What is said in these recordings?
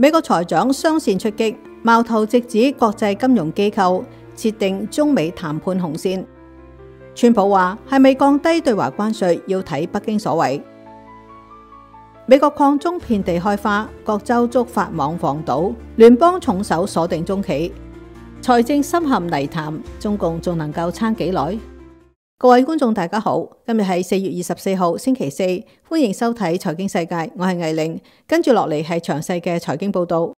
美國財長雙線出擊，矛頭直指國際金融機構，設定中美談判紅線。川普話係咪降低對華關稅要睇北京所為。美國礦中遍地開花，各州觸發網防堵，聯邦重手鎖定中企，財政深陷泥潭，中共仲能夠撐幾耐？各位觀眾大家好，今日係4月24號星期四，歡迎收睇財經世界，我係魏玲，跟住落嚟係詳細嘅財經報道。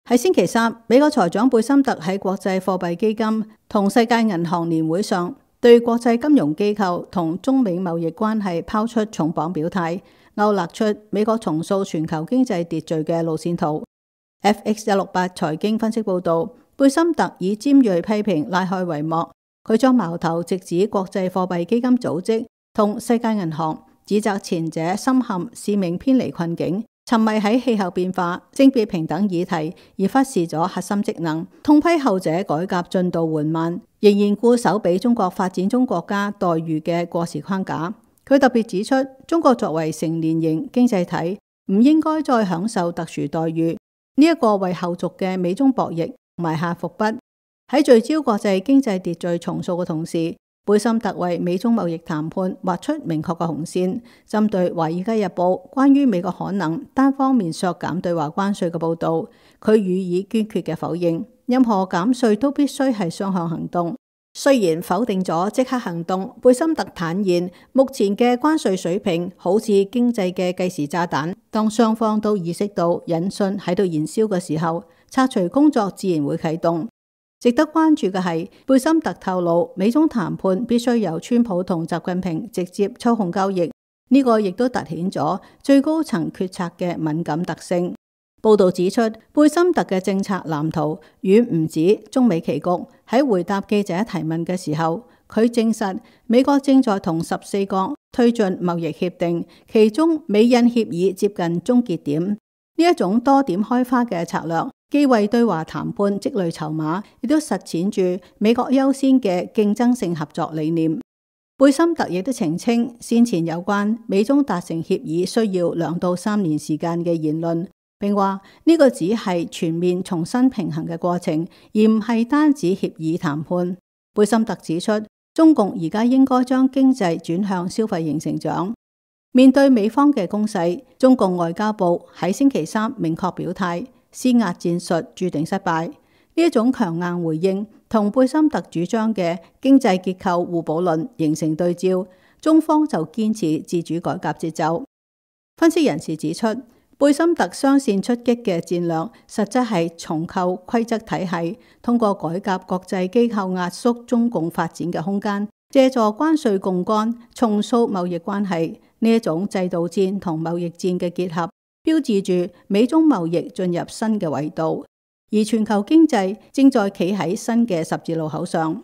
喺星期三，美國財長貝森特喺國際貨幣基金同世界銀行年會上，對國際金融機構同中美貿易關係拋出重磅表態，勾勒出美國重塑全球經濟秩序嘅路線圖。FX168 財經分析報道，貝森特以尖銳批評拉開帷幕，佢將矛頭直指國際貨幣基金組織同世界銀行，指責前者深陷使命偏離困境，沉迷喺氣候變化、性別平等議題，而忽視咗核心職能，痛批後者改革進度緩慢，仍然固守俾中國發展中國家待遇嘅過時框架。佢特別指出，中國作為成年型經濟體，唔應該再享受特殊待遇，呢一個為後續嘅美中博弈埋下伏筆。喺聚焦國際經濟秩序重塑嘅同時，貝森特為美中貿易談判劃出明確嘅紅線。針對《華爾街日報》關於美國可能單方面削減對華關稅嘅報導，佢予以堅決嘅否認。任何減稅都必須係雙向行動。雖然否定咗即刻行動，貝森特坦言，目前嘅關稅水平好似經濟嘅計時炸彈，當雙方都意識到引信喺度燃燒嘅時候，拆除工作自然會啟動。值得關注嘅係，貝森特透露，美中談判必須由川普同習近平直接操控交易，呢個亦都凸顯咗最高層決策嘅敏感特性。報道指出，貝森特嘅政策藍圖遠唔止中美棋局。喺回答記者提問嘅時候，佢證實美國正在同14國推進貿易協定，其中美印協議接近終結點。呢一種多點開花嘅策略，既為對華談判積累籌碼，亦都實踐住美國優先嘅競爭性合作理念。貝森特亦都澄清先前有關美中達成協議需要2到3年時間嘅言論，並話呢個只係全面重新平衡嘅過程，而唔係單指協議談判。貝森特指出，中共而家應該將經濟轉向消費型成長。面對美方嘅攻勢，中共外交部喺星期三明確表態，施壓戰術注定失敗。呢一種強硬回應同貝森特主張嘅經濟結構互補論形成對照，中方就堅持自主改革節奏。分析人士指出，貝森特雙線出擊嘅戰略，實質係重構規則體系，通過改革國際機構壓縮中共發展嘅空間，借助關稅槓桿重塑貿易關係。呢一種制度戰同貿易戰嘅結合，標誌住美中貿易進入新嘅維度，而全球經濟正在企喺新嘅十字路口上。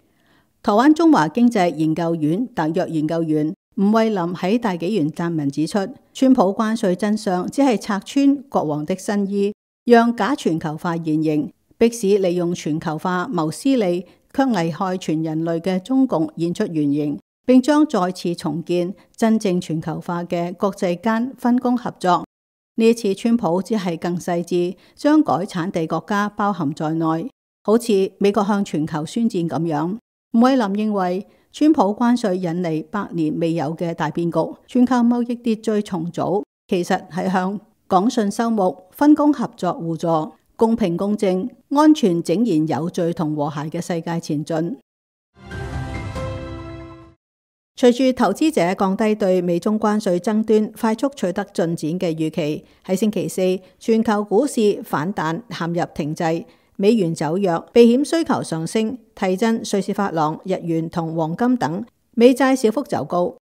台灣中華經濟研究院特約研究員吳惠林喺大紀元撰文指出，川普關稅真相只係拆穿國王的新衣，讓假全球化現形，迫使利用全球化謀私利卻危害全人類嘅中共現出原形，並將再次重建真正全球化嘅國際間分工合作。呢一次川普只係更細緻，將改產地國家包含在內，好似美國向全球宣戰咁樣。吳惠林認為，川普關稅引嚟百年未有嘅大變局，全球貿易秩序重組其實係向廣信修睦、分工合作互助、公平公正、安全井然有序同和諧嘅世界前進。隨住投資者降低對美中關稅爭端快速取得進展嘅預期，喺星期四，全球股市反彈陷入停滯，美元走弱，避險需求上升，提振瑞士法郎、日元同黃金等，美債小幅走高。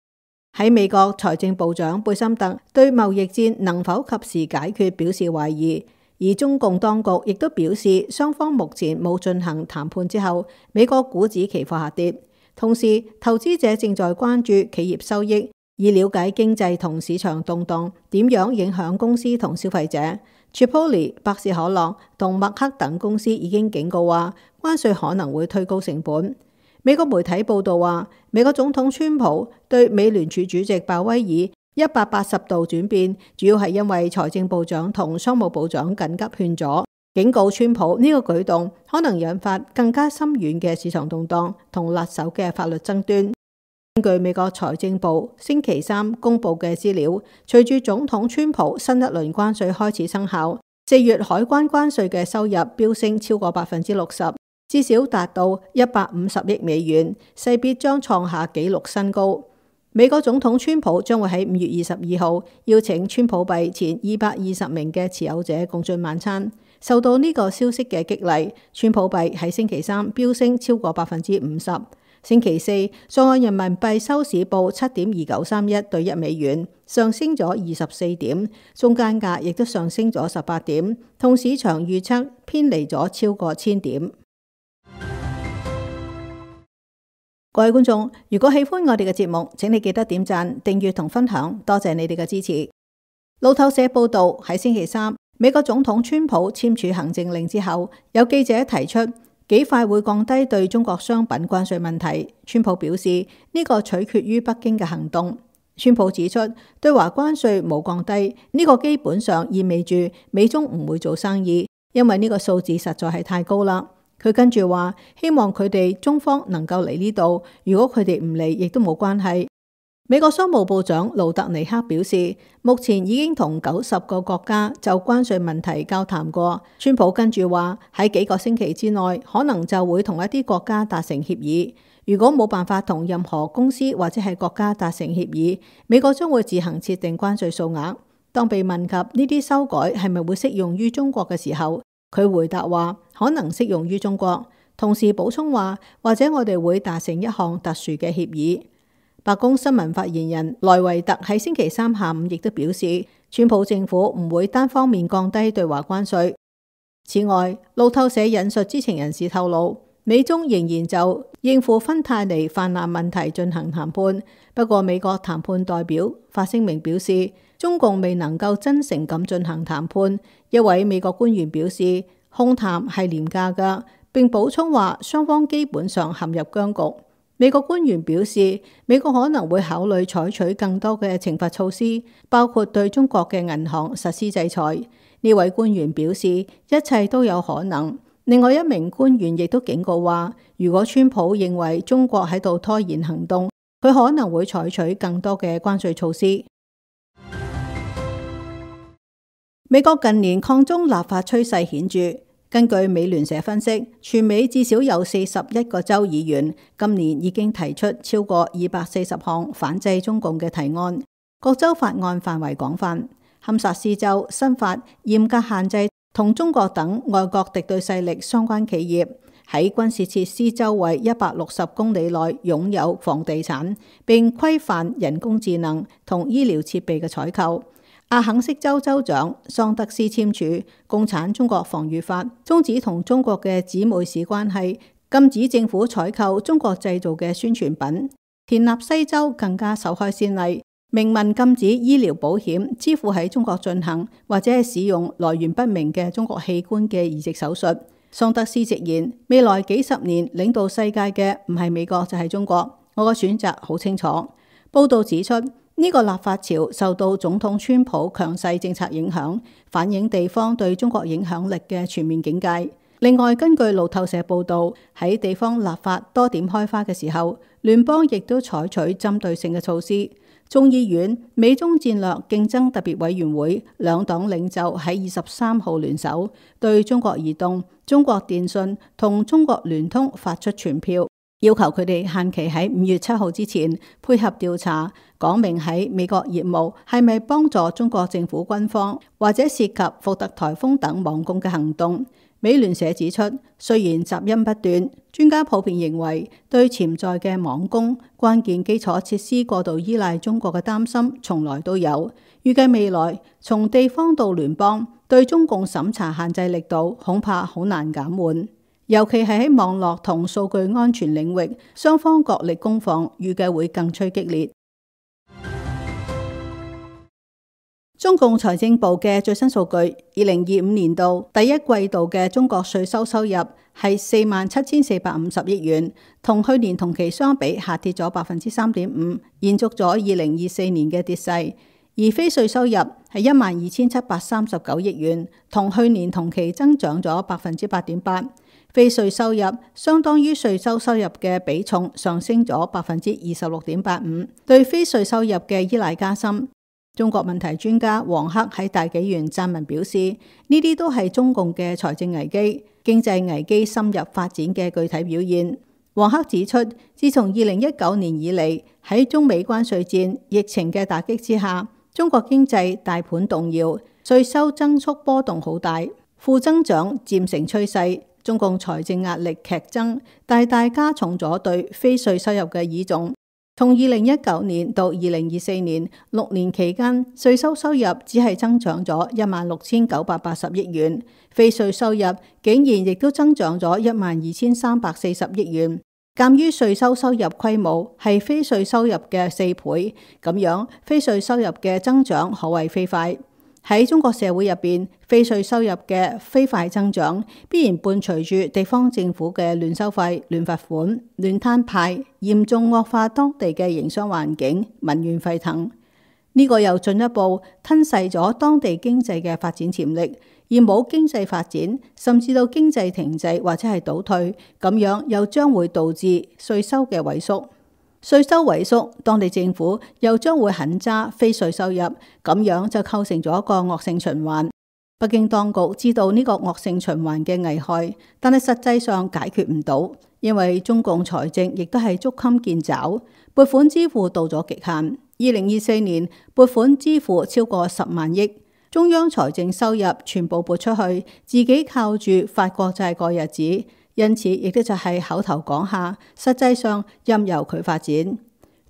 喺美國財政部長貝森特對貿易戰能否及時解決表示懷疑，而中共當局亦都表示雙方目前冇進行談判之後，美國股指期貨下跌。同時，投資者正在關注企業收益，以了解經濟同市場動盪點樣影響公司同消費者。Chipotle、百事可樂同麥克等公司已經警告話，關稅可能會推高成本。美國媒體報道話，美國總統川普對美聯儲主席鮑威爾180度轉變，主要係因為財政部長同商務部長緊急勸阻，警告川普呢個舉動可能引發更加深遠嘅市場動盪同辣手嘅法律爭端。根據美國財政部星期三公布嘅資料，隨住總統川普新一輪關稅開始生效，4月海關關稅嘅收入飆升超過60%，至少達到150億美元，勢必將創下紀錄新高。美國總統川普將會喺5月22號邀請川普幣前220名嘅持有者共進晚餐。受到呢個消息嘅激勵，川普幣喺星期三飆升超過50%。星期四，在岸人民幣收市報7.2931對1美元，上升咗24點，中間價亦都上升咗18點，同市場預測偏離咗超過1000點。各位觀眾，如果喜歡我哋嘅節目，請你記得點讚、訂閱同分享，多謝你哋嘅支持。路透社報道，喺星期三，美國總統川普簽署行政令之後，有記者提出幾快會降低對中國商品關稅問題。川普表示呢個取決於北京嘅行動。川普指出，對華關稅冇降低，呢個基本上意味住美中唔會做生意，因為呢個數字實在係太高啦。佢跟住話，希望佢哋中方能夠嚟呢度，如果佢哋唔嚟，亦都冇關係。美國商務部長盧特尼克表示，目前已經同90個國家就關稅問題交談過。川普跟住話，喺幾個星期之內，可能就會同一啲國家達成協議。如果冇辦法同任何公司或者係國家達成協議，美國將會自行設定關稅數額。當被問及呢啲修改係咪會適用於中國嘅時候，佢回答話可能適用於中國，同時補充話或者我哋會達成一項特殊嘅協議。白宮新聞發言人萊維特喺星期三下午亦都表示，川普政府唔會單方面降低對華關稅。此外，路透社引述知情人士透露，美中仍然就應付芬太尼泛濫問題進行談判，不過美國談判代表發聲明表示，中共未能夠真誠咁進行談判。一位美國官員表示，空談係廉價㗎，並補充話雙方基本上陷入僵局。美國官員表示，美國可能會考慮採取更多嘅懲罰措施，包括對中國嘅銀行實施制裁。呢位官員表示，一切都有可能。另外一名官員亦都警告話，如果川普認為中國喺度拖延行動，佢可能會採取更多嘅關稅措施。美國近年抗中立法趨勢顯著。根據美聯社分析，全美至少有41個州議員今年已經提出超過240項反制中共嘅提案。各州法案範圍廣泛。堪薩斯州新法嚴格限制同中國等外國敵對勢力相關企業喺軍事設施周圍160公里內擁有房地產，並規範人工智能同醫療設備嘅採購。阿肯色州州長桑德斯簽署《共產中國防禦法》，終止同中國嘅姊妹市關係，禁止政府採購中國製造嘅宣傳品。田納西州更加首開先例，明文禁止醫療保險支付喺中國進行或者係使用來源不明嘅中國器官嘅移植手術。桑德斯直言，未來幾十年領導世界嘅唔係美國就係中國，我嘅選擇好清楚。報道指出，呢個立法潮受到總統川普強勢政策影響，反映地方對中國影響力嘅全面警戒。另外，根據路透社報導，喺地方立法多點開花嘅時候，聯邦亦都採取針對性嘅措施。眾議院美中戰略競爭特別委員會兩黨領袖喺23號聯手，對中國移動、中國電信同中國聯通發出傳票，要求佢哋限期喺5月7號之前配合調查，講明喺美國業務係咪幫助中國政府軍方或者涉及福特颱風等網攻嘅行動。美聯社指出，雖然雜音不斷，專家普遍認為對潛在嘅網攻、關鍵基礎設施過度依賴中國嘅擔心從來都有。預計未來從地方到聯邦對中共審查限制力度恐怕好難減緩，尤其係喺網絡同數據安全領域，雙方角力攻防預計會更趨激烈。中共財政部嘅最新數據，2025年度第一季度嘅中國稅收收入係47,450億元，同去年同期相比下跌咗3.5%，延續咗2024年嘅跌勢。而非稅收入係12,739億元，同去年同期增長咗8.8%。非稅收入相當於稅收收入嘅比重上升咗26.85%，對非稅收入嘅依賴加深。中國問題專家王克喺大紀元撰文表示，呢啲都係中共嘅財政危機、經濟危機深入發展嘅具體表現。王克指出，自從2019年以嚟，喺中美關稅戰、疫情嘅打擊之下，中國經濟大盤動搖，稅收增速波動好大，負增長漸成趨勢。中共財政壓力劇增，大大加重咗對非稅收入嘅倚重。從2019年到2024年6年期間，稅收收入只係增長咗16,980億元，非稅收入竟然亦都增長咗12,340億元。鑑於稅收收入規模係非稅收入嘅4倍，咁樣非稅收入嘅增長可謂飛快。喺中國社會入邊，非稅收入嘅飛快增長，必然伴隨住地方政府嘅亂收費、亂罰款、亂攤派，嚴重惡化當地嘅營商環境，民怨沸騰。呢個又進一步吞噬咗當地經濟嘅發展潛力，而冇經濟發展，甚至到經濟停滯或者係倒退，咁樣又將會導致稅收嘅萎縮。稅收萎縮，當地政府又將會狠揸非稅收入，咁樣就構成咗一個惡性循環。北京當局知道呢個惡性循環嘅危害，但係實際上解決唔到，因為中共財政亦都係捉襟見肘，撥款支付到咗極限。2024年撥款支付超過10萬億，中央財政收入全部撥出去，自己靠住發國債過日子。因此，亦都就係口頭講下，實際上任由佢發展。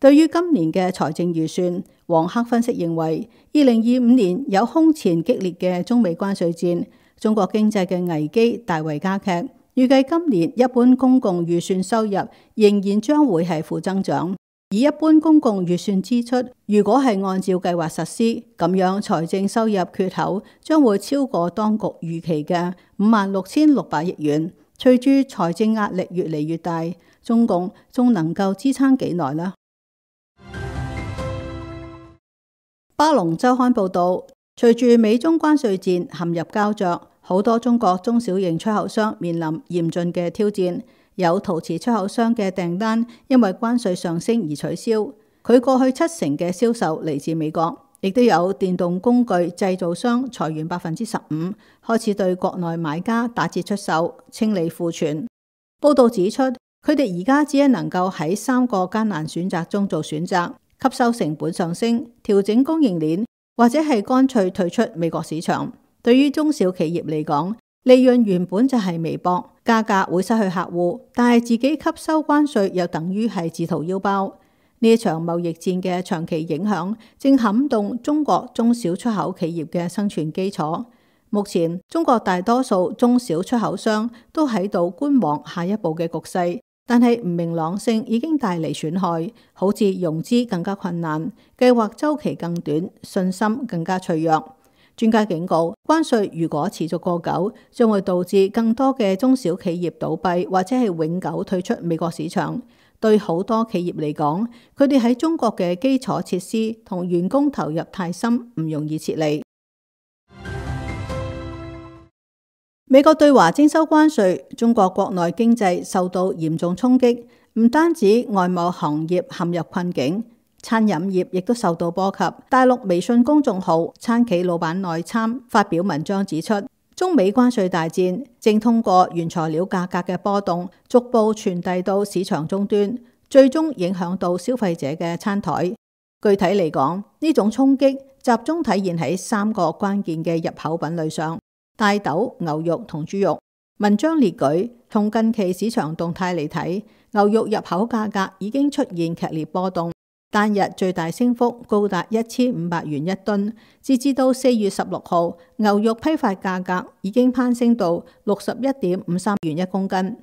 對於今年嘅財政預算，王克分析認為，2025年有空前激烈嘅中美關稅戰，中國經濟嘅危機大為加劇。預計今年一般公共預算收入仍然將會係負增長，而一般公共預算支出如果係按照計劃實施，咁樣財政收入缺口將會超過當局預期嘅56,600億元。隨住財政壓力越嚟越大，中共仲能夠支撐幾耐呢？巴龍週刊報導，隨住美中關稅戰陷入膠着，好多中國中小型出口商面臨嚴峻嘅挑戰。有陶瓷出口商嘅訂單因為關稅上升而取消，佢過去70%嘅銷售嚟自美國。亦都有電動工具製造商裁員15%，開始對國內買家打折出售，清理庫存。報道指出，佢哋而家只係能夠喺3個艱難選擇中做選擇：吸收成本上升、調整供應鏈，或者係乾脆退出美國市場。對於中小企業嚟講，利潤原本就係微薄，價格會失去客戶，但係自己吸收關稅又等於係自掏腰包。呢一場貿易戰嘅長期影響正撼動中國中小出口企業嘅生存基礎。目前中國大多數中小出口商都喺度觀望下一步嘅局勢，但係唔明朗性已經帶嚟損害，好似融資更加困難，計劃週期更短，信心更加脆弱。專家警告，關稅如果持續過久，將會導致更多嘅中小企業倒閉，或者係永久退出美國市場。對好多企業嚟講，佢哋喺中國嘅基礎設施同員工投入太深，唔容易撤離。美國對華徵收關稅，中國國內經濟受到嚴重衝擊，唔單止外貿行業陷入困境，餐飲業亦都受到波及。大陸微信公眾號餐企老闆內參發表文章指出，中美關稅大戰正通過原材料價格嘅波動，逐步傳遞到市場終端，最終影響到消費者嘅餐台。具體嚟講，呢種衝擊集中體現喺3個關鍵嘅入口品類上：大豆、牛肉同豬肉。文章列舉，從近期市場動態嚟睇，牛肉入口價格已經出現劇烈波動。單日最大升幅高達1500元一噸，截至到4月16號，牛肉批發價格已經攀升到61.53元一公斤。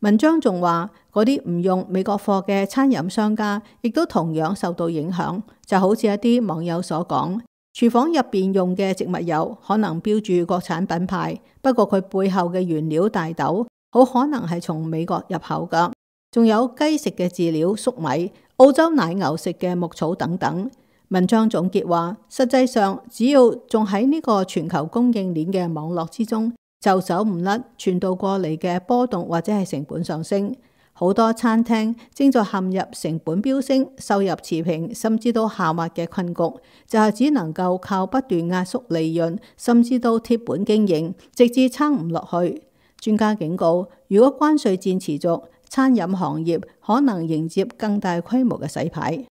文章仲話，嗰啲唔用美國貨嘅餐飲商家亦都同樣受到影響，就好似一啲網友所講，廚房入邊用嘅植物油可能標注國產品牌，不過佢背後嘅原料大豆好可能係從美國入口噶。仲有雞食嘅飼料粟米、澳洲奶牛食嘅牧草等等。文章總結話，實際上只要仲喺呢個全球供應鏈嘅網絡之中，就走唔甩傳導過嚟嘅波動或者係成本上升。好多餐廳正在陷入成本飆升、收入持平甚至到下滑嘅困局，就係只能夠靠不斷壓縮利潤，甚至到貼本經營，直至撐唔落去。專家警告，如果關稅戰持續，餐飲行業可能迎接更大規模嘅洗牌。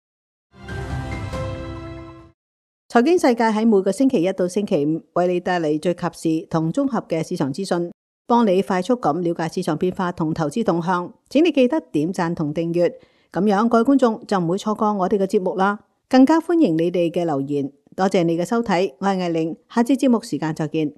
財經世界喺每個星期一到星期五為你帶嚟最及時同綜合嘅市場資訊，幫你快速咁了解市場變化同投資動向。請你記得點讚同訂閱，咁樣各位觀眾就唔會錯過我哋嘅節目啦。更加歡迎你哋嘅留言。多謝你嘅收睇，我係艾玲，下次節目時間再見。